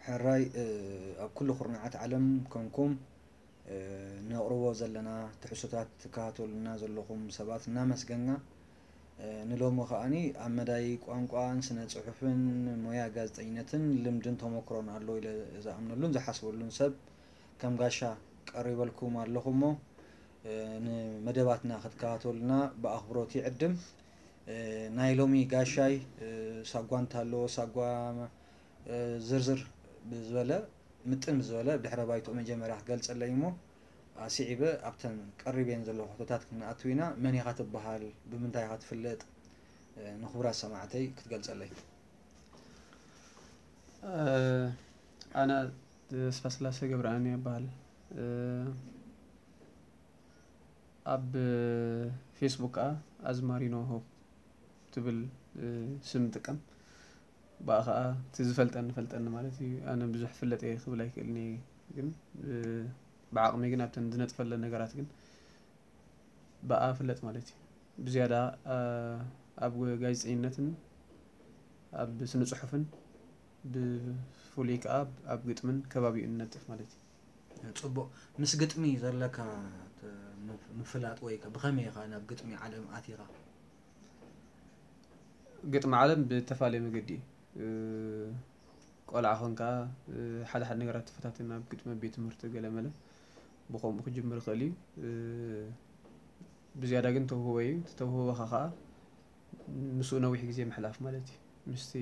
ሕራይ ኣብ ኩሉ ኩርናዓት ዓለም ኮንኩም ነቕርቦ ዘለና ትሕዝቶታት ትከታተሉና ዘለኹም ሰባት እናመስገንና፣ ንሎሚ ከኣኒ ኣብ መዳይ ቋንቋን ስነ ጽሑፍን ሞያ ጋዜጠኝነትን ልምድን ተመክሮን ኣሎ ኢለ ዝኣምነሉን ዝሓስበሉን ሰብ ከም ጋሻ ቀሪበልኩም ኣለኹ እሞ፣ ንመደባትና ክትከታተሉና ብኣኽብሮት ይዕድም። ናይ ሎሚ ጋሻይ ሳጓ እንተሃለዎ ሳጓ ዝርዝር ብዝበለ ምጥን ብዝበለ ብድሕረ ባይትኡ መጀመርያ ክገልጸለይ እሞ ኣስዒበ ኣብተን ቀሪበን ዘለኹ ሕቶታት ክንኣቱ ኢና። መን ኢኻ ትበሃል? ብምንታይ ኢኻ ትፍለጥ? ንኽቡራት ሰማዕተይ ክትገልጸለይ። ኣነ ተስፋስላሴ ገብረኣምን ይበሃል። ኣብ ፌስቡክ ከዓ ኣዝማሪኖ ሆፕ ትብል ስም እጥቀም። ብኣ ከዓ እቲ ዝፈልጠኒ ፈልጠኒ ማለት እዩ። ኣነ ብዙሕ ፍለጥ እየ ክብል ኣይክእልን እየ፣ ግን ብዓቕመይ ግን ኣብተን ዝነጥፈለን ነገራት ግን ብኣ እፍለጥ ማለት እዩ። ብዝያዳ ኣብ ጋዜጠኝነትን ኣብ ስነ ፅሑፍን ብፍሉይ ከዓ ኣብ ግጥምን ከባቢኡን እነጥፍ ማለት እዩ። ጽቡቕ። ምስ ግጥሚ ዘለካ ምፍላጥ ወይ ብኸመይ ኢኻ ናብ ግጥሚ ዓለም ኣቲኻ? ግጥሚ ዓለም ብተፈላለየ መገዲ እዩ። ቆልዓ ኾንካ ሓደ ሓደ ነገራት ትፈታተን ኣብ ግጥሚ ቤት ትምህርቲ ገለ መለ ብኸምኡ ክጅምር ይኽእል እዩ። ብዝያዳ ግን ተውህቦ እዩ። እቲ ተውህቦኻ ከዓ ምስኡ ነዊሕ ግዜ ምሕላፍ ማለት እዩ። ምስቲ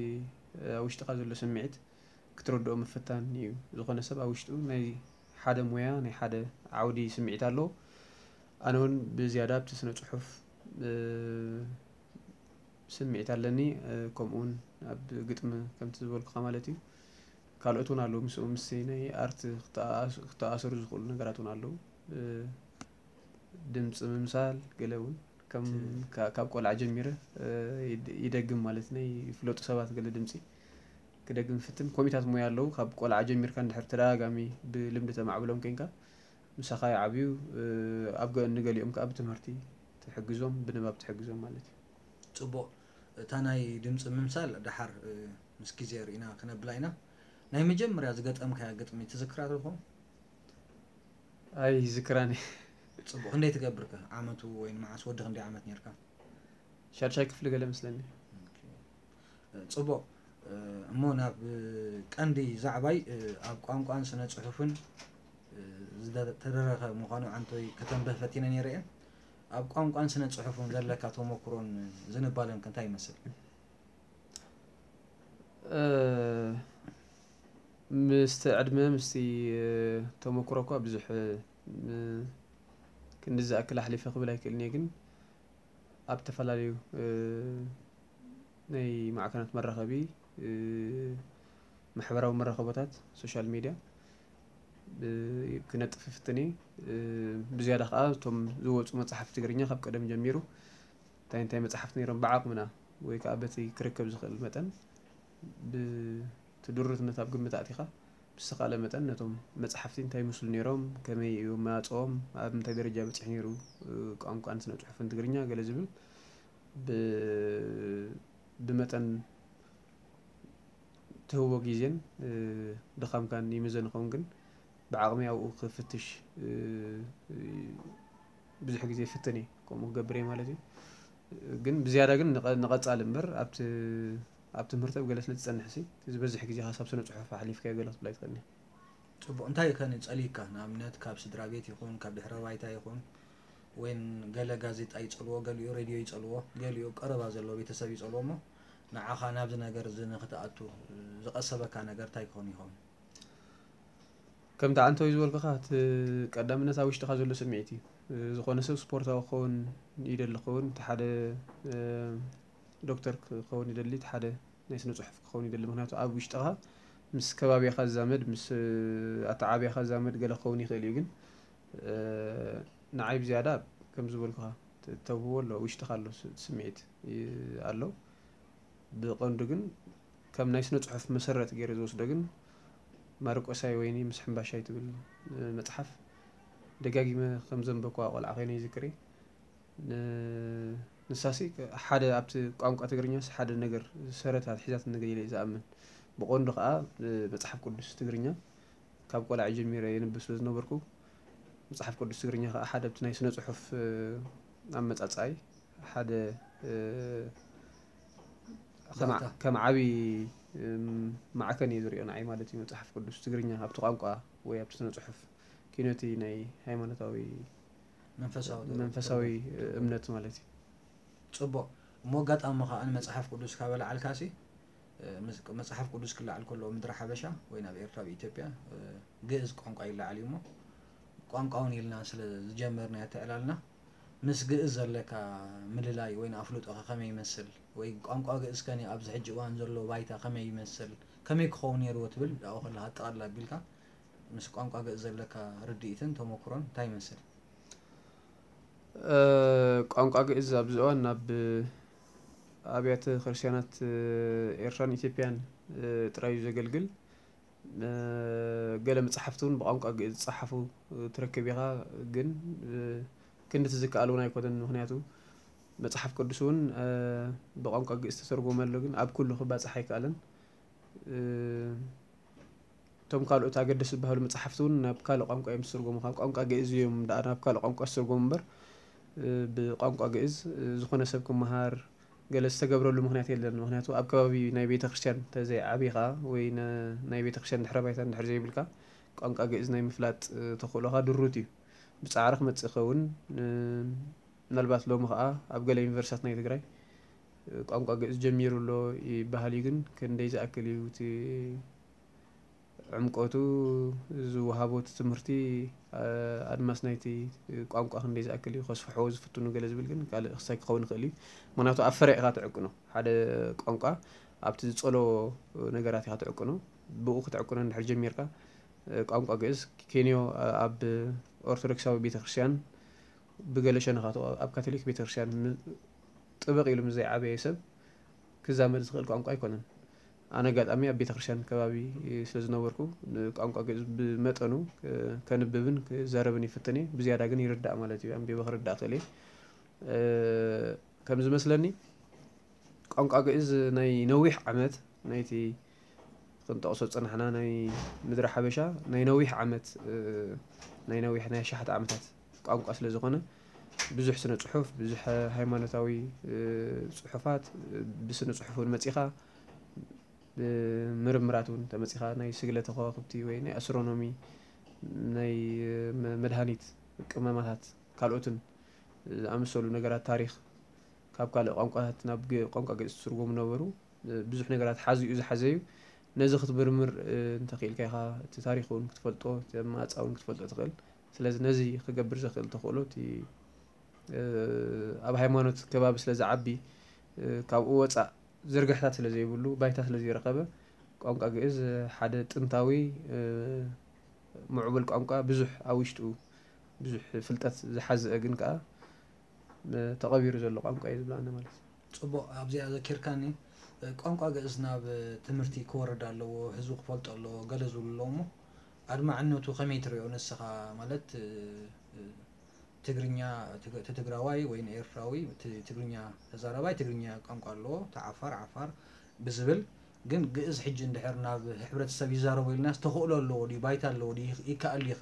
ኣብ ውሽጥኻ ዘሎ ስምዒት ክትረድኦ ምፍታን እዩ። ዝኾነ ሰብ ኣብ ውሽጡ ናይ ሓደ ሞያ ናይ ሓደ ዓውዲ ስምዒት ኣለዎ። ኣነ እውን ብዝያዳ ኣብቲ ስነ ፅሑፍ ስምዒት ኣለኒ። ከምኡ እውን ኣብ ግጥሚ ከምቲ ዝበልኩኻ ማለት እዩ። ካልኦት እውን ኣለዉ ምስኡ ምስ ናይ ኣርት ክተኣሳሰሩ ዝኽእሉ ነገራት እውን ኣለዉ። ድምፂ ምምሳል ገለ እውን ከም ካብ ቆልዓ ጀሚረ ይደግም ማለት ናይ ፍለጡ ሰባት ገለ ድምፂ ክደግም ይፍትን። ኮሚታት ሞያ ኣለዉ ካብ ቆልዓ ጀሚርካ እንድሕር ተደጋጋሚ ብልምዲ ተማዕብሎም ኮይንካ ምሳኻ ይዓብዩ። ኣብ ንገሊኦም ከዓ ብትምህርቲ ትሕግዞም ብንባብ ትሕግዞም ማለት እዩ። ጽቡቕ። እታ ናይ ድምፂ ምምሳል ደሓር ምስ ግዜ ርኢና ክነብላ ኢና። ናይ መጀመርያ ዝገጠምካያ ግጥሚ ትዝክራ ትኾን? ኣይዝክራን። ጽቡቕ። ክንደይ ትገብር ከ? ዓመቱ ወይ ንመዓስ ወዲ ክንደይ ዓመት ነርካ? ሻድሻይ ክፍሊ ገለ መስለኒ። ጽቡቕ። እሞ ናብ ቀንዲ ዛዕባይ ኣብ ቋንቋን ስነ ጽሑፍን ዝተደረኸ ምዃኑ ዓንቶይ ከተንብህ ፈቲነ ነይረ እየ። ኣብ ቋንቋን ስነ ጽሑፍን ዘለካ ተመክሮን ዝንባለን ከ እንታይ ይመስል? ምስቲ ዕድመ ምስቲ ተመክሮ እኳ ብዙሕ ክንዲ ዝኣክል ኣሕሊፈ ክብል ኣይክእልን እየ፣ ግን ኣብ ዝተፈላለዩ ናይ ማዕከናት መራኸቢ ማሕበራዊ መራኸቦታት ሶሻል ሚድያ ክነጥፍ ይፍትን እየ። ብዝያዳ ከዓ እቶም ዝወፁ መፅሓፍቲ ትግርኛ ካብ ቀደም ጀሚሩ እንታይ እንታይ መፅሓፍቲ ነይሮም ብዓቕምና ወይ ከዓ በቲ ክርከብ ዝኽእል መጠን ብቲ ድሩትነት ኣብ ግምት ኣእቲኻ ብዝተኻእለ መጠን ነቶም መፅሓፍቲ እንታይ ይመስሉ ነይሮም፣ ከመይ እዩ ኣመፃፅኦም፣ ኣብ ምንታይ ደረጃ በፂሑ ነይሩ ቋንቋን ስነ ፅሑፍን ትግርኛ ገለ ዝብል ብመጠን ትህቦ ግዜን ድኻምካን ይምዘን ይኸውን፣ ግን ብዓቕሚ ኣብኡ ክፍትሽ ብዙሕ ግዜ ይፍትን እየ፣ ከምኡ ክገብር እየ ማለት እዩ። ግን ብዝያዳ ግን ንቐፃሊ እምበር ኣብቲ ኣብ ትምህርቲ ኣብ ገለ ስለ ዝፀንሕ ሲ ዝበዝሕ ግዜ ሓሳብ ስነ ፅሑፍ ኣሕሊፍካዮ ገለ ክትብል ኣይትኽእልን። ፅቡቕ። እንታይ ከ ንፀሊካ ንኣብነት ካብ ስድራ ቤት ይኹን ካብ ድሕረ ባይታ ይኹን ወይን ገለ ጋዜጣ ይፀልዎ፣ ገሊኡ ሬድዮ ይፀልዎ፣ ገሊኡ ቀረባ ዘለዎ ቤተሰብ ይፀልዎ እሞ ንዓኻ ናብዚ ነገር እዚ ንክትኣቱ ዝቐሰበካ ነገር እንታይ ክኾን ይኸውን? ከምቲ ዓንተወይ ዝበልኩኻ እቲ ቀዳምነት ኣብ ውሽጥኻ ዘሎ ስምዒት እዩ። ዝኾነ ሰብ ስፖርታዊ ክኸውን ይደሊ ክኸውን፣ እቲ ሓደ ዶክተር ክኸውን ይደሊ፣ እቲ ሓደ ናይ ስነ ፅሑፍ ክኸውን ይደሊ። ምክንያቱ ኣብ ውሽጥኻ ምስ ከባቢኻ ዝዛመድ ምስ ኣተዓብያኻ ዝዛመድ ገለ ክኸውን ይኽእል እዩ፣ ግን ንዓይ ብዝያዳ ከም ዝበልኩኻ ተውህቦ ኣሎ፣ ውሽጥኻ ኣሎ ስምዒት ኣሎ። ብቐንዱ ግን ከም ናይ ስነ ጽሑፍ መሰረት ገይረ ዝወስዶ ግን ማርቆሳይ ወይኒ ምስ ሕምባሻይ ትብል መጽሓፍ ደጋጊመ ከም ዘንበብኩዋ ቆልዓ ኮይነ ይዝክር እየ። ንሳሲ ሓደ ኣብቲ ቋንቋ ትግርኛስ ሓደ ነገር ሰረት ኣትሒዛትኒ ገለ ኢለ እየ ዝኣምን። ብቐንዱ ከዓ መፅሓፍ ቅዱስ ትግርኛ ካብ ቆልዓ ጀሚረ የንብብ ስለ ዝነበርኩ፣ መፅሓፍ ቅዱስ ትግርኛ ከዓ ሓደ ኣብቲ ናይ ስነ ፅሑፍ ኣመፃፅኣይ ሓደ ከም ዓብዪ ማዕከን እዩ ዝሪኦ ንዓይ ማለት እዩ። መፅሓፍ ቅዱስ ትግርኛ ኣብቲ ቋንቋ ወይ ኣብቲ ስነ ፅሑፍ ኪኖቲ ናይ ሃይማኖታዊ መንፈሳዊ እምነት ማለት እዩ። ፅቡቕ። እሞ ኣጋጣሚ ከዓ ንመፅሓፍ ቅዱስ ካበላዓልካሲ መፅሓፍ ቅዱስ ክለዓል ከሎ ምድሪ ሓበሻ ወይ ናብ ኤርትራ ብኢትዮጵያ ግእዝ ቋንቋ ይለዓል እዩ። እሞ ቋንቋውን ኢልና ስለ ዝጀመርና ያተዕላልና ምስ ግእዝ ዘለካ ምልላይ ወይ ኣፍልጦ ከመይ ይመስል ወይ ቋንቋ ግእዝ ከኒ ኣብዚ ሕጂ እዋን ዘሎ ባይታ ከመይ ይመስል ከመይ ክኸውን ነይርዎ ትብል ኣብኡ ከለካ ኣጠቓልል ኣቢልካ ምስ ቋንቋ ግእዝ ዘለካ ርድኢትን ተመክሮን እንታይ ይመስል? ቋንቋ ግእዝ ኣብዚ እዋን ናብ ኣብያተ ክርስቲያናት ኤርትራን ኢትዮጵያን ጥራይ እዩ ዘገልግል። ገለ መፅሓፍቲ እውን ብቋንቋ ግእዝ ዝፀሓፉ ትረክብ ኢኻ፣ ግን ክንድቲ ዝከኣል እውን ኣይኮነን። ምክንያቱ መፅሓፍ ቅዱስ እውን ብቋንቋ ግእዝ ተተርጎመ ኣሎ፣ ግን ኣብ ኩሉ ክባፅሕ ኣይከኣለን። እቶም ካልኦት ኣገደስቲ ዝበሃሉ መፅሓፍቲ እውን ናብ ካልእ ቋንቋ እዮም ዝትርጎሙ። ካብ ቋንቋ ግእዝ እዮም ደኣ ናብ ካልእ ቋንቋ ዝትርጎሙ እምበር ብቋንቋ ግእዝ ዝኾነ ሰብ ክመሃር ገለ ዝተገብረሉ ምክንያት የለን። ምክንያቱ ኣብ ከባቢ ናይ ቤተ ክርስቲያን ተዘይዓቢኻ ወይ ናይ ቤተ ክርስቲያን ድሕረ ባይታ እንድሕር ዘይብልካ ቋንቋ ግእዝ ናይ ምፍላጥ ተኽእሎኻ ድሩት እዩ። ብፃዕሪ ክመፅእ ይኸውን። ምናልባት ሎሚ ከዓ ኣብ ገለ ዩኒቨርሲታት ናይ ትግራይ ቋንቋ ግእዝ ጀሚሩ ኣሎ ይበሃል እዩ፣ ግን ክንደይ ዝኣክል እዩ እቲ ዕምቆቱ ዝወሃቦ እቲ ትምህርቲ ኣድማስ ናይቲ ቋንቋ ክንደይ ዝኣክል እዩ ከስፍሕዎ ዝፍትኑ ገለ ዝብል ግን ካልእ ክሳይ ክኸውን ይኽእል እዩ። ምክንያቱ ኣብ ፍረ ኢኻ ትዕቅኖ። ሓደ ቋንቋ ኣብቲ ዝጸሎ ነገራት ኢኻ ትዕቅኖ። ብኡ ክትዕቅኖ እንድሕር ጀሚርካ ቋንቋ ግእዝ ኬንዮ ኣብ ኦርቶዶክሳዊ ቤተክርስትያን ብገለ ሸነኻቱ ኣብ ካቶሊክ ቤተክርስትያን ጥብቕ ኢሉ ምስ ዘይዓበየ ሰብ ክዛመድ ዝኽእል ቋንቋ ኣይኮነን። ኣነ ኣጋጣሚ ኣብ ቤተክርስትያን ከባቢ ስለ ዝነበርኩ ንቋንቋ ግእዝ ብመጠኑ ከንብብን ክዛረብን ይፍትን እየ። ብዝያዳ ግን ይርዳእ ማለት እዩ። ኣንቢበ ክርዳእ ክእል እየ። ከም ዝመስለኒ ቋንቋ ግእዝ ናይ ነዊሕ ዓመት ናይቲ ክንጠቕሶ ዝጸናሕና ናይ ምድሪ ሓበሻ ናይ ነዊሕ ዓመት ናይ ነዊሕ ናይ ኣሽሓት ዓመታት ቋንቋ ስለ ዝኾነ ብዙሕ ስነ ጽሑፍ፣ ብዙሕ ሃይማኖታዊ ጽሑፋት ብስነ ጽሑፍ እውን መጺኻ ምርምራት እውን ተመጺኻ ናይ ስግለተ ከዋክብቲ ወይ ናይ ኣስትሮኖሚ ናይ መድሃኒት ቅመማታት ካልኦትን ዝኣመሰሉ ነገራት ታሪኽ ካብ ካልእ ቋንቋታት ናብ ቋንቋ ግእዝ ትርጎሙ ነበሩ። ብዙሕ ነገራት ሓዚ እዩ ዝሓዘ እዩ። ነዚ ክትምርምር እንተኽኢልካ ኢኻ እቲ ታሪኽ እውን ክትፈልጦ እቲ ኣመፃፅኣ እውን ክትፈልጦ ትኽእል። ስለዚ ነዚ ክገብር ዘኽእል ተኽእሎ እቲ ኣብ ሃይማኖት ከባቢ ስለ ዝዓቢ ካብኡ ወፃእ ዝርግሕታት ስለ ዘይብሉ ባይታ ስለ ዘይረኸበ ቋንቋ ግእዝ ሓደ ጥንታዊ ምዕቡል ቋንቋ ብዙሕ ኣብ ውሽጡ ብዙሕ ፍልጠት ዝሓዘ ግን ከዓ ተቐቢሩ ዘሎ ቋንቋ እዩ ዝብላና ማለት እዩ። ፅቡቕ ኣብዚኣ ዘኪርካኒ ቋንቋ ግእዝ ናብ ትምህርቲ ክወርድ ኣለዎ ህዝቢ ክፈልጦ ኣለዎ ገለ ዝብሉ ኣለዉ እሞ ኣድማዕነቱ ከመይ ትሪኦ ንስኻ ማለት ትግርኛ ትግራዋይ ወይ ኤርትራዊ ትግርኛ ተዛራባይ ትግርኛ ቋንቋ ኣለዎ ተዓፋር ዓፋር ብዝብል ግን ግእዝ ሕጂ እንድሕር ናብ ሕብረተሰብ ይዛረቦ ኢልናስ ተኽእሎ ኣለዎ ድዩ ባይታ ኣለዎ ድዩ ይከኣል ይኸ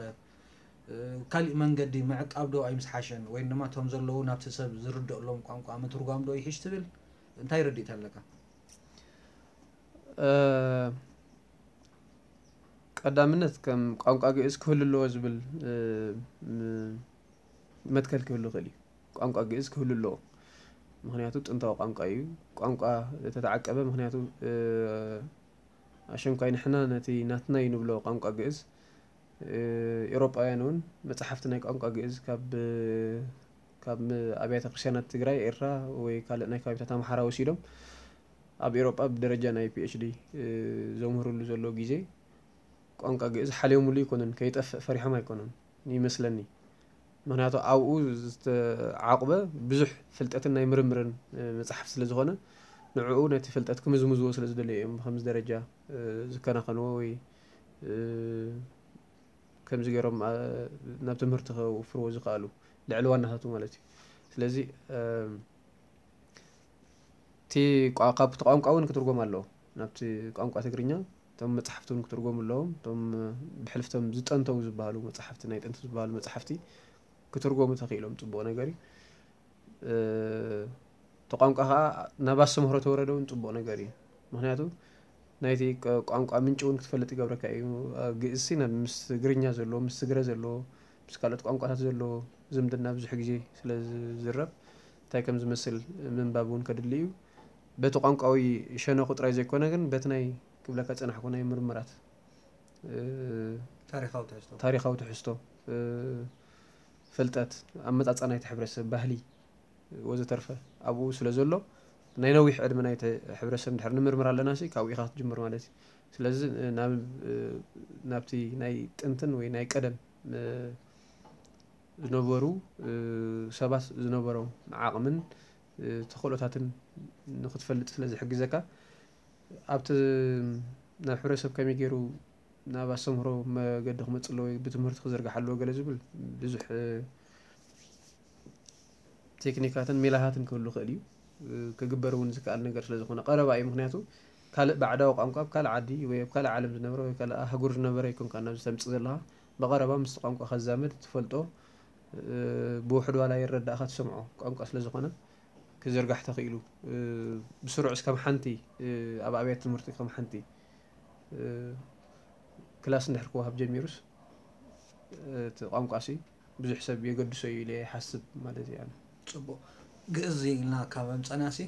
ካሊእ መንገዲ ምዕቃብ ዶ ኣይምስሓሸን ወይ ድማ እቶም ዘለዉ ናብቲ ሰብ ዝርደእሎም ቋንቋ ምትርጓም ዶ ይሕሽ ትብል እንታይ ርድኢት ኣለካ? ቀዳምነት ከም ቋንቋ ግእዝ ክህሉ ኣለዎ ዝብል መትከል ክህሉ ይኽእል እዩ። ቋንቋ ግእዝ ክህሉ ኣለዎ፣ ምክንያቱ ጥንታዊ ቋንቋ እዩ። ቋንቋ ተተዓቀበ፣ ምክንያቱ ኣሸንኳይ ንሕና ነቲ ናትና እዩ ንብሎ ቋንቋ ግእዝ። ኤውሮጳውያን እውን መፅሓፍቲ ናይ ቋንቋ ግእዝ ካብ ካብ ኣብያተ ክርስቲያናት ትግራይ፣ ኤርትራ ወይ ካልእ ናይ ከባቢታት ኣምሓራ ወሲዶም ኣብ ኤውሮጳ ብደረጃ ናይ ፒኤችዲ ዘምህርሉ ዘሎ ግዜ ቋንቋ ግእዝ ሓልዮምሉ ኣይኮኑን፣ ከይጠፍእ ፈሪሖም ኣይኮኑን ይመስለኒ። ምክንያቱ ኣብኡ ዝተዓቑበ ብዙሕ ፍልጠትን ናይ ምርምርን መፅሓፍ ስለ ዝኾነ ንዕኡ ነቲ ፍልጠት ክምዝምዝዎ ስለ ዝደለዩ እዮም ብከምዚ ደረጃ ዝከናኸንዎ ወይ ከምዚ ገይሮም ናብ ትምህርቲ ከውፍርዎ ዝኸኣሉ ልዕሊ ዋናታቱ ማለት እዩ። ስለዚ እቲ ካብቲ ቋንቋ እውን ክትርጎም ኣለዎ። ናብቲ ቋንቋ ትግርኛ እቶም መፅሓፍቲ እውን ክትርጎሙ ኣለዎም። እቶም ብሕልፍቶም ዝጠንተው ዝበሃሉ መፅሓፍቲ፣ ናይ ጥንቲ ዝበሃሉ መፅሓፍቲ ክትርጎሙ ተኽኢሎም ፅቡቕ ነገር እዩ። እቲ ቋንቋ ከዓ ናብ ኣስተምህሮ ተወረደ እውን ፅቡቕ ነገር እዩ። ምክንያቱ ናይቲ ቋንቋ ምንጪ እውን ክትፈልጥ ይገብረካ እዩ። ግእዝሲ ምስ ትግርኛ ዘለዎ፣ ምስ ትግረ ዘለዎ፣ ምስ ካልኦት ቋንቋታት ዘለዎ ዝምድና ብዙሕ ግዜ ስለ ዝዝረብ እንታይ ከም ዝመስል ምንባብ እውን ከድሊ እዩ። በቲ ቋንቋዊ ሸነኹ ጥራይ ዘይኮነ ግን በቲ ናይ ክብለካ ዝፀናሕኩ ናይ ምርምራት ታሪካዊ ትሕዝቶ ታሪካዊ ትሕዝቶ፣ ፍልጠት፣ ኣመፃፅኣ ናይቲ ሕብረተሰብ፣ ባህሊ ወዘተርፈ ኣብኡ ስለ ዘሎ ናይ ነዊሕ ዕድመ ናይቲ ሕብረተሰብ እንድሕር ንምርምር ኣለና ሲ ካብኡ ኢኻ ክትጅምር ማለት እዩ። ስለዚ ናብ ናብቲ ናይ ጥንትን ወይ ናይ ቀደም ዝነበሩ ሰባት ዝነበሮም ዓቕምን ተኽእሎታትን ንክትፈልጥ ስለ ዝሕግዘካ ኣብቲ ናብ ሕብረተሰብ ከመይ ገይሩ ናብ ኣስተምህሮ መገዲ ክመፅእ ኣለዎ ብትምህርቲ ክዝርጋሕ ኣለዎ ገለ ዝብል ብዙሕ ቴክኒካትን ሜላታትን ክህሉ ይኽእል እዩ። ክግበር እውን ዝከኣል ነገር ስለ ዝኾነ ቀረባ እዩ። ምክንያቱ ካልእ ባዕዳዊ ቋንቋ ኣብ ካልእ ዓዲ ወይ ኣብ ካልእ ዓለም ዝነበረ ወይ ካልእ ኣህጉር ዝነበረ ኣይኮንካ ናብዚ ተምፅእ ዘለኻ። ብቐረባ ምስቲ ቋንቋ ከዛመድ ትፈልጦ ብውሕድ ዋላ ይረዳእኻ ትሰምዖ ቋንቋ ስለ ዝኾነ ክዝርጋሕ ተኽኢሉ ብስሩዕ እስከም ሓንቲ ኣብ ኣብያት ትምህርቲ ከም ሓንቲ ክላስ እንድሕር ክወሃብ ጀሚሩስ እቲ ቋንቋ ሲ ብዙሕ ሰብ የገድሶ እዩ ኢለ ይሓስብ ማለት እዩ። ፅቡቅ ግእዝ ኢልና ካብ ኣምፀና ሲ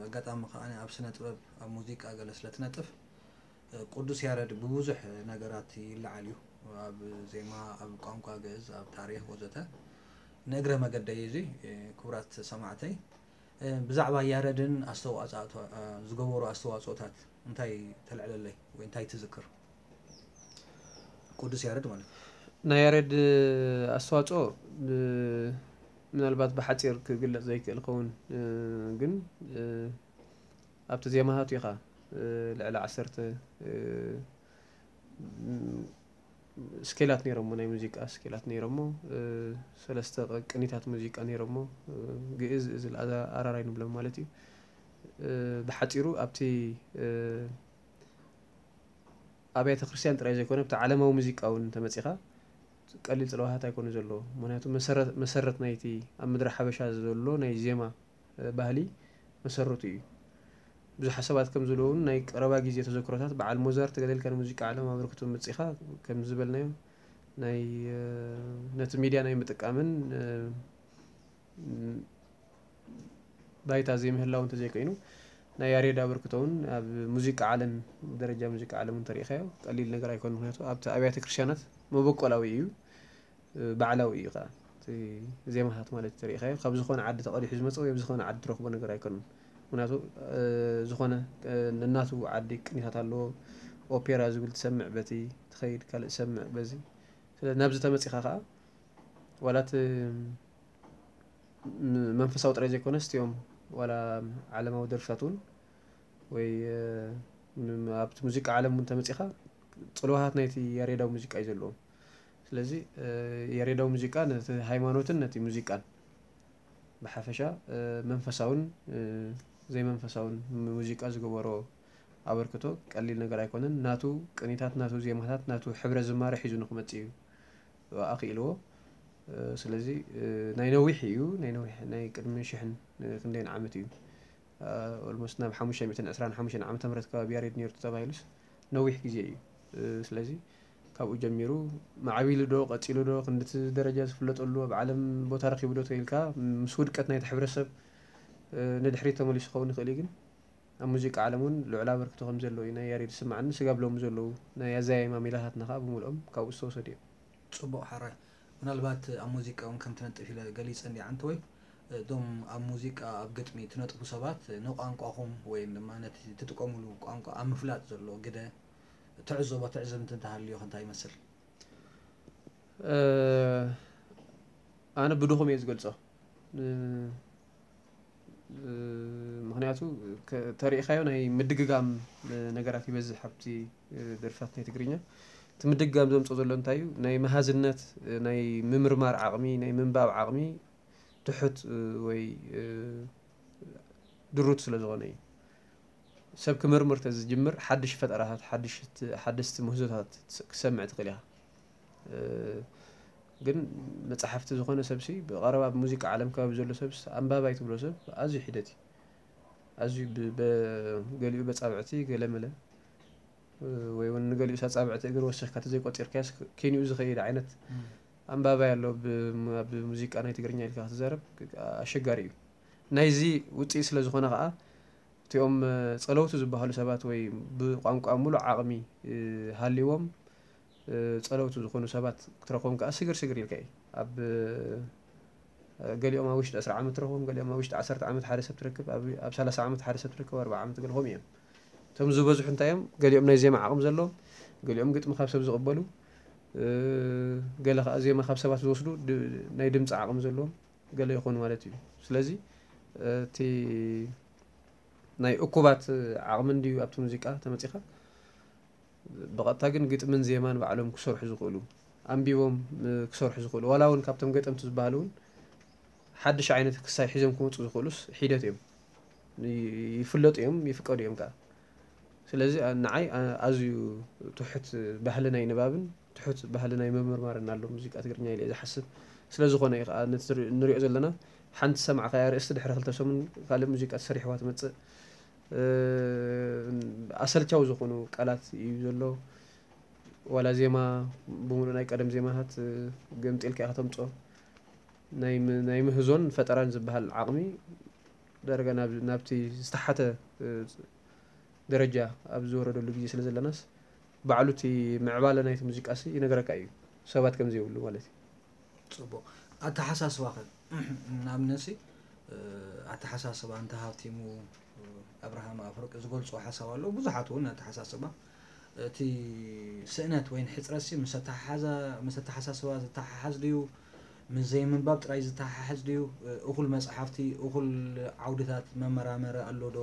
ኣጋጣሚ ከዓ ኣብ ስነ ጥበብ ኣብ ሙዚቃ ገለ ስለ ትነጥፍ ቅዱስ ያረድ ብብዙሕ ነገራት ይለዓል እዩ። ኣብ ዜማ፣ ኣብ ቋንቋ ግእዝ፣ ኣብ ታሪክ ወዘተ። ንእግረ መገደይ እዚ ክቡራት ሰማዕተይ ብዛዕባ ያረድን ኣስተዋፅኦ ዝገበሩ ኣስተዋፅኦታት እንታይ ተልዕለለይ ወይ እንታይ ትዝክር? ቅዱስ ያረድ ማለት እዩ። ናይ ያሬድ ኣስተዋፅኦ ምናልባት ብሓፂር ክግለፅ ዘይክእል ኸውን ግን ኣብቲ ዜማታቱ ኢኻ ልዕሊ ዓሰርተ ስኬላት ነይሮሞ ናይ ሙዚቃ ስኬላት ነይሮሞ ሰለስተ ቅኒታት ሙዚቃ ነይሮሞ ግእዝ እዝል ኣራራይ ንብሎም ማለት እዩ። ብሓፂሩ ኣብቲ ኣብያተ ክርስቲያን ጥራይ ዘይኮነ ኣብቲ ዓለማዊ ሙዚቃ እውን እንተመፂኻ ቀሊል ፅለዋታት ኣይኮነ ዘለዎ። ምክንያቱ መሰረት ናይቲ ኣብ ምድሪ ሓበሻ ዘሎ ናይ ዜማ ባህሊ መሰረቱ እዩ። ብዙሓት ሰባት ከም ዝብልዎ እውን ናይ ቀረባ ግዜ ተዘክሮታት በዓል ሞዛርት ገለ ኢልካ ንሙዚቃ ዓለም ኣበርክቶ መፂኻ ከም ዝበልናዮ ናይ ነቲ ሚድያ ናይ ምጥቃምን ባይታ ዘይምህላው እንተዘይኮይኑ ናይ ያሬድ ኣበርክቶ እውን ኣብ ሙዚቃ ዓለም ደረጃ ሙዚቃ ዓለም እውን ተሪኢኻዮ ቀሊል ነገር ኣይኮነ። ምክንያቱ ኣብቲ ኣብያተ ክርስቲያናት መበቆላዊ እዩ ባዕላዊ እዩ ከዓ ዜማታት ማለት ተሪኢኻዮ ካብ ዝኾነ ዓዲ ተቐዲሑ ዝመፀ ወይ ኣብ ዝኾነ ዓዲ ትረኽቦ ነገር ኣይኮነን። ምክንያቱ ዝኾነ ነናቱ ዓዲ ቅኒታት ኣለዎ። ኦፔራ ዝብል ትሰምዕ በቲ ትኸይድ ካልእ ትሰምዕ በዚ ስለ ናብዚ ተመፂኻ ከዓ ዋላ እቲ መንፈሳዊ ጥራይ ዘይኮነ ስቲኦም ዋላ ዓለማዊ ደርፍታት እውን ወይ ኣብቲ ሙዚቃ ዓለም እውን ተመፂኻ ፅልዋሃት ናይቲ ያሬዳዊ ሙዚቃ እዩ ዘለዎም። ስለዚ ያሬዳዊ ሙዚቃ ነቲ ሃይማኖትን ነቲ ሙዚቃን ብሓፈሻ መንፈሳውን ዘይመንፈሳውን ሙዚቃ ዝገበሮ ኣበርክቶ ቀሊል ነገር ኣይኮነን። ናቱ ቅኒታት፣ ናቱ ዜማታት፣ ናቱ ሕብረ ዝማሬ ሒዙ ንክመፅእ እዩ ኣኽኢልዎ። ስለዚ ናይ ነዊሕ እዩ፣ ናይ ነዊሕ ናይ ቅድሚ ሽሕን ክንደይን ዓመት እዩ። ኦልሞስት ናብ ሓሙሽተ ሚእትን ዕስራን ሓሙሽተን ዓመተ ምህረት ከባቢ ያሬድ ነይሩ ተባሂሉስ ነዊሕ ግዜ እዩ። ስለዚ ካብኡ ጀሚሩ ማዕቢሉ ዶ ቀፂሉ ዶ ክንድቲ ደረጃ ዝፍለጠሉ ኣብ ዓለም ቦታ ረኪቡ ዶ ተኢልካ ምስ ውድቀት ናይቲ ሕብረተሰብ ንድሕሪት ተመሊሱ ክኸውን ይኽእል እዩ ግን ኣብ ሙዚቃ ዓለም እውን ልዑል ኣበርክቶ ከም ዘለዎ እዩ ናይ ያሬድ ዝስምዓኒ። ስጋብ ሎሚ ዘለዉ ናይ ኣዘያይማ ሜላታትና ከዓ ብምልኦም ካብኡ ዝተወሰዱ እዮም። ፅቡቕ ሓራይ። ምናልባት ኣብ ሙዚቃ እውን ከም ትነጥፍ ኢለ ገሊፀ እንዲ ዓንተወይ እቶም ኣብ ሙዚቃ ኣብ ግጥሚ ትነጥፉ ሰባት ንቋንቋኹም ወይ ድማ ነቲ ትጥቀሙሉ ቋንቋ ኣብ ምፍላጥ ዘሎ ግደ ትዕዘቦ ትዕዝብቲ እንተሃልዮ እንታይ ይመስል? ኣነ ብድኹም እየ ዝገልፆ። ምክንያቱ ተሪኢኻዮ ናይ ምድግጋም ነገራት ይበዝሕ ኣብቲ ደርፍታት ናይ ትግርኛ። እቲ ምድግጋም ዘምፅኦ ዘሎ እንታይ እዩ? ናይ መሃዝነት፣ ናይ ምምርማር ዓቕሚ፣ ናይ ምንባብ ዓቕሚ ትሑት ወይ ድሩት ስለ ዝኾነ እዩ። ሰብ ክምርምር ተዝጅምር ሓድሽ ፈጠራታት ሓድሽ ሓደስቲ ምህዞታት ክሰምዕ ትኽእል ኢኻ። ግን መፅሓፍቲ ዝኾነ ሰብሲ ብቐረባ ኣብ ሙዚቃ ዓለም ከባቢ ዘሎ ሰብስ ኣንባባይ ትብሎ ሰብ ኣዝዩ ሒደት እዩ። ኣዝዩ ገሊኡ በፃብዕቲ ገለመለ ወይ እውን ንገሊኡ ሳፃብዕቲ እግር ወሲኽካ ተዘይቆፂርካስ ኬንኡ ዝኸይድ ዓይነት ኣንባባይ ኣሎ። ኣብ ሙዚቃ ናይ ትግርኛ ኢልካ ክትዛረብ ኣሸጋሪ እዩ። ናይዚ ውፅኢ ስለ ዝኾነ ከዓ እቲኦም ፀለውቲ ዝበሃሉ ሰባት ወይ ብቋንቋ ሙሉእ ዓቕሚ ሃልዎም ፀለውቲ ዝኾኑ ሰባት ክትረኽቦም ከዓ ስግር ስግር ኢልካ እዩ። ኣብ ገሊኦም ኣብ ውሽጢ ዕስራ ዓመት ትረኽቦም፣ ገሊኦም ኣብ ውሽጢ ዓሰርተ ዓመት ሓደ ሰብ ትረክብ፣ ኣብ ሰላሳ ዓመት ሓደ ሰብ ትረክብ፣ ኣርብዓ ዓመት ገለኹም እዮም። እቶም ዝበዝሑ እንታይ እዮም? ገሊኦም ናይ ዜማ ዓቕሚ ዘለዎም፣ ገሊኦም ግጥሚ ካብ ሰብ ዝቕበሉ፣ ገለ ከዓ ዜማ ካብ ሰባት ዝወስዱ ናይ ድምፂ ዓቕሚ ዘለዎም ገለ ይኾኑ ማለት እዩ። ስለዚ እቲ ናይ እኩባት ዓቕሚ እንድዩ ኣብቲ ሙዚቃ ተመፂኻ ብቐጥታ ግን ግጥምን ዜማን ባዕሎም ክሰርሑ ዝኽእሉ፣ ኣንቢቦም ክሰርሑ ዝኽእሉ፣ ዋላ እውን ካብቶም ገጠምቲ ዝበሃሉ እውን ሓድሽ ዓይነት ክሳይ ሒዞም ክመፁ ዝኽእሉስ ሒደት እዮም። ይፍለጡ እዮም፣ ይፍቀዱ እዮም ከዓ። ስለዚ ንዓይ ኣዝዩ ትሑት ባህሊ ናይ ንባብን ትሑት ባህሊ ናይ ምምርማርን ኣሎ ሙዚቃ ትግርኛ ኢለ ዝሓስብ። ስለዝኾነ እዩ ከዓ ነቲ ንሪኦ ዘለና ሓንቲ ሰማዕካያ ርእስቲ ድሕሪ ክልተ ሰሙን ካልእ ሙዚቃ ተሰሪሕዋ ትመፅእ። ኣሰልቻዊ ዝኾኑ ቃላት እዩ ዘሎ። ዋላ ዜማ ብምሉእ ናይ ቀደም ዜማታት ገምጢልካ ኢኻ ተምፅኦ። ናይ ምህዞን ፈጠራን ዝበሃል ዓቕሚ ዳርጋ ናብቲ ዝተሓተ ደረጃ ኣብ ዝወረደሉ ግዜ ስለ ዘለናስ ባዕሉ እቲ ምዕባለ ናይቲ ሙዚቃሲ ይነግረካ እዩ ሰባት ከም ዘይብሉ ማለት እዩ። ፅቡቕ ኣተሓሳስባኸ ንኣብነሲ ኣተሓሳስባ እንተሃብቲሙ ኣብርሃም ኣፍርቂ ዝገልፅዎ ሓሳብ ኣለዉ ብዙሓት እውን ኣተሓሳስባ እቲ ስእነት ወይ ሕፅረትሲ ምስ ኣተሓሓዛ ምስ ኣተሓሳስባ ዝተሓሓዝ ድዩ ምስ ዘይምንባብ ጥራይ ዝተሓሓዝ ድዩ እኹል መፅሓፍቲ እኹል ዓውድታት መመራመሪ ኣሎ ዶ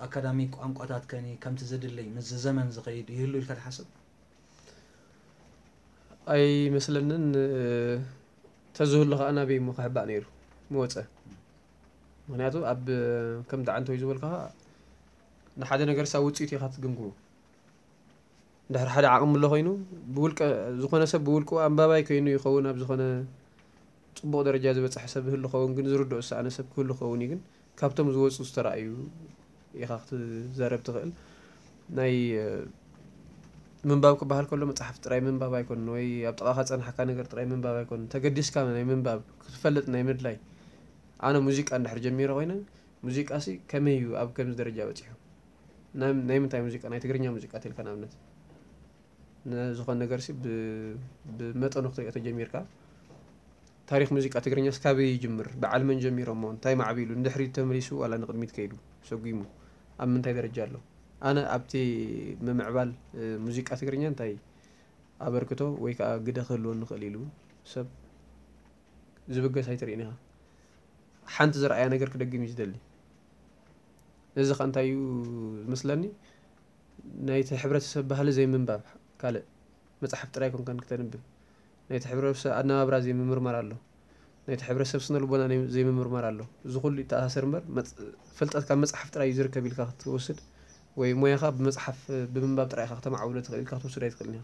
ኣካዳሚክ ቋንቋታት ከኒ ከምቲ ዝድለይ ምስ ዘመን ዝኸይድ ይህሉ ኢልካ ትሓስብ ኣይመስለንን ተዝህሉ ከዓ ናበይ እሞ ክሕባእ ነይሩ ምወፀ ምክንያቱ ኣብ ከም ዳዓንተወይ ዝበልካ ንሓደ ነገር ሳ ውፅኢት ኢኻ ትግምግሙ እንድሕር ሓደ ዓቕሚ ኣሎ ኮይኑ ብውልቀ ዝኾነ ሰብ ብውልቁ ኣንባባይ ኮይኑ ይኸውን ኣብ ዝኾነ ፅቡቕ ደረጃ ዝበፅሐ ሰብ ህሉ ኸውን ግን ዝርድኦ ዝሰኣነ ሰብ ክህሉ ኸውን እዩ ግን ካብቶም ዝወፁ ዝተረኣዩ ኢኻ ክትዛረብ ትኽእል ናይ ምንባብ ክበሃል ከሎ መፅሓፍ ጥራይ ምንባብ ኣይኮን ወይ ኣብ ጥቓኻ ፀናሕካ ነገር ጥራይ ምንባብ ኣይኮን ተገዲስካ ናይ ምንባብ ክትፈልጥ ናይ ምድላይ ኣነ ሙዚቃ እንድሕር ጀሚረ ኮይነ ሙዚቃ ሲ ከመይ እዩ ኣብ ከምዚ ደረጃ በፂሑ ናይ ምንታይ ሙዚቃ ናይ ትግርኛ ሙዚቃ ተልካ ንኣብነት ንዝኾነ ነገር ሲ ብመጠኑ ክትሪኦ ተጀሚርካ ታሪክ ሙዚቃ ትግርኛ ስካበይ ይጅምር በዓል መን ጀሚሮሞ እንታይ ማዕቢሉ ንድሕሪት ተመሊሱ ዋላ ንቅድሚት ከይዱ ሰጒሙ ኣብ ምንታይ ደረጃ ኣሎ ኣነ ኣብቲ ምምዕባል ሙዚቃ ትግርኛ እንታይ ኣበርክቶ ወይ ከዓ ግደ ክህልዎ ንኽእል ኢሉ ሰብ ዝብገስ ኣይትርእን ኢኻ ሓንቲ ዝረኣያ ነገር ክደግም እዩ ዝደሊ እዚ ከ እንታይ እዩ ዝመስለኒ ናይቲ ሕብረተሰብ ባህሊ ዘይምንባብ ካልእ መፅሓፍ ጥራይ ኮንካን ክተንብብ ናይቲ ሕብረተሰብ ኣነባብራ ዘይምምርማር ኣሎ ናይቲ ሕብረተሰብ ስነ ልቦና ዘይምምርማር ኣሎ እዚ ኩሉ ይተኣሳሰር እምበር ፍልጠት ካብ መፅሓፍ ጥራይ እዩ ዝርከብ ኢልካ ክትወስድ ወይ ሞያኻ ብመፅሓፍ ብምንባብ ጥራይ ኢኻ ክተማዕብሎ ትኽእል ኢልካ ክትወስድ ኣይትኽእልን ኢኻ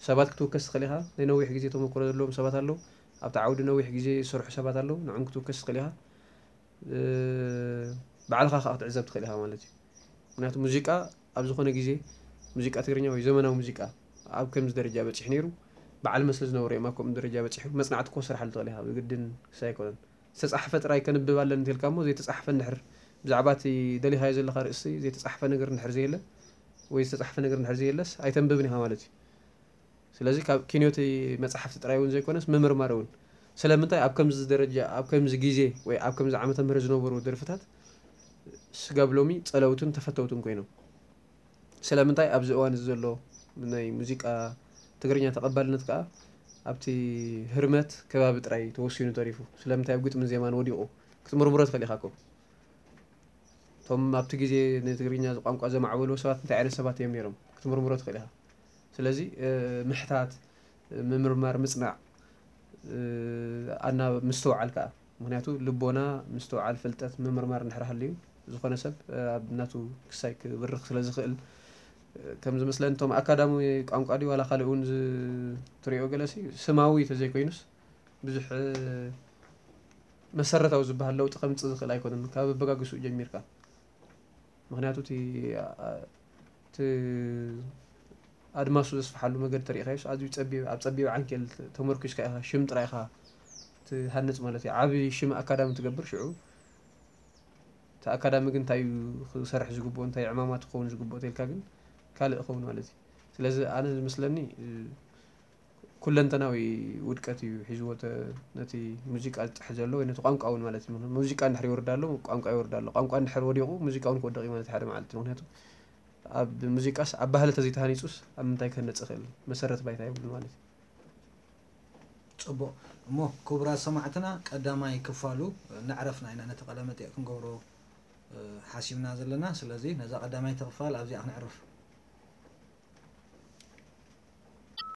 ሰባት ክትውከስ ትኽእል ኢኻ ናይ ነዊሕ ግዜ ተመክሮ ዘለዎም ሰባት ኣለዉ ኣብቲ ዓውዲ ነዊሕ ግዜ ዝሰርሑ ሰባት ኣለዉ ንዕም ክትውከስ ትኽእል ኢኻ ባዕልኻ ከዓ ክትዕዘብ ትኽእል ኢኻ ማለት እዩ ምክንያቱ ሙዚቃ ኣብ ዝኾነ ግዜ ሙዚቃ ትግርኛ ወይ ዘመናዊ ሙዚቃ ኣብ ከምዚ ደረጃ በፂሑ ነይሩ በዓል መስሊ ዝነበሩ እዮም ኣብ ከምኡ ደረጃ በፂሑ መፅናዕቲ ክወስርሓሉ ትኽእል ኢኻ ብግድን ክሳይ ኣይኮነን ዝተፃሕፈ ጥራይ ከንብብ ኣለኒ እንተልካ እሞ ዘይተፃሕፈ እንድሕር ብዛዕባ እቲ ደሊኻዮ ዘለኻ ርእሲ ዘይተፃሕፈ ነገር እንድሕር ዘየለ ወይ ዝተፃሕፈ ነገር እንድሕር ዘየለስ ኣይተንብብን ኢኻ ማለት እዩ ስለዚ ካብ ኪንዮቲ መፅሓፍቲ ጥራይ እውን ዘይኮነስ ምምርማር እውን ስለምንታይ ኣብ ከምዚ ደረጃ ኣብ ከምዚ ግዜ ወይ ኣብ ከምዚ ዓመተ ምህረት ዝነበሩ ደርፍታት ስጋብ ሎሚ ፀለውትን ተፈተውትን ኮይኖም ስለምንታይ ኣብዚ እዋን እዚ ዘሎ ናይ ሙዚቃ ትግርኛ ተቐባልነት ከዓ ኣብቲ ህርመት ከባቢ ጥራይ ተወሲኑ ተሪፉ ስለምንታይ ኣብ ግጥምን ዜማን ወዲቑ ክትምርምሮ ትኽእል ኢኻ እኮ እቶም ኣብቲ ግዜ ንትግርኛ ቋንቋ ዘማዕበልዎ ሰባት እንታይ ዓይነት ሰባት እዮም ነይሮም ክትምርምሮ ትኽእል ኢኻ ስለዚ ምሕታት ምምርማር ምፅናዕ ኣና ምስትውዓል ከዓ ምክንያቱ ልቦና ምስትውዓል ፍልጠት ምምርማር እንድሕር ሃልዩ ዝኾነ ሰብ ኣብ ናቱ ክሳይ ክብርኽ ስለ ዝኽእል ከም ዝመስለኒ እቶም ኣካዳሚ ቋንቋ ድዩ ዋላ ካልእ እውን ትሪኦ ገለሲ ስማዊ ተዘይኮይኑስ ብዙሕ መሰረታዊ ዝበሃል ለውጢ ከምፅእ ዝኽእል ኣይኮነን ካብ ኣበጋግስኡ ጀሚርካ። ምክንያቱ እቲ ኣድማሱ ዘስፍሓሉ መገዲ ተሪኢኻዮስ ኣዝዩ ጸቢብ ኣብ ጸቢብ ዓንኬል ተመርኪስካ ኢኻ ሽም ጥራይ ኢኻ ትሃንጽ ማለት እዩ። ዓቢ ሽም ኣካዳሚ ትገብር ሽዑ እቲ ኣካዳሚ ግን እንታይ እዩ ክሰርሕ ዝግብኦ እንታይ ዕማማት ክኸውን ዝግብኦ ተልካ ግን ካልእ ክኸውን ማለት እዩ። ስለዚ ኣነ ዝመስለኒ ኩለንተናዊ ውድቀት እዩ ሒዝዎ ነቲ ሙዚቃ ዝጥሕ ዘሎ ወይ ነቲ ቋንቋ እውን ማለት እዩ። ሙዚቃ እንድሕር ይወርዳ ኣሎ ቋንቋ ይወርዳ ኣሎ። ቋንቋ እንድሕር ወዲቑ ሙዚቃ እውን ክወደቕ እዩ ማለት ሓደ መዓልቲ። ምክንያቱ ኣብ ሙዚቃስ ኣብ ባህሊ ተዘይተሃኒፁስ ኣብ ምንታይ ክህነፅ ይኽእል? መሰረት ባይታ የብሉ ማለት እዩ። ፅቡቕ እሞ ክቡራት ሰማዕትና ቀዳማይ ክፋሉ ነዕረፍና ኢና ነቲ ቀለመጢዕ ክንገብሮ ሓሲብና ዘለና። ስለዚ ነዛ ቀዳማይ ተኽፋል ኣብዚኣ ክነዕርፍ።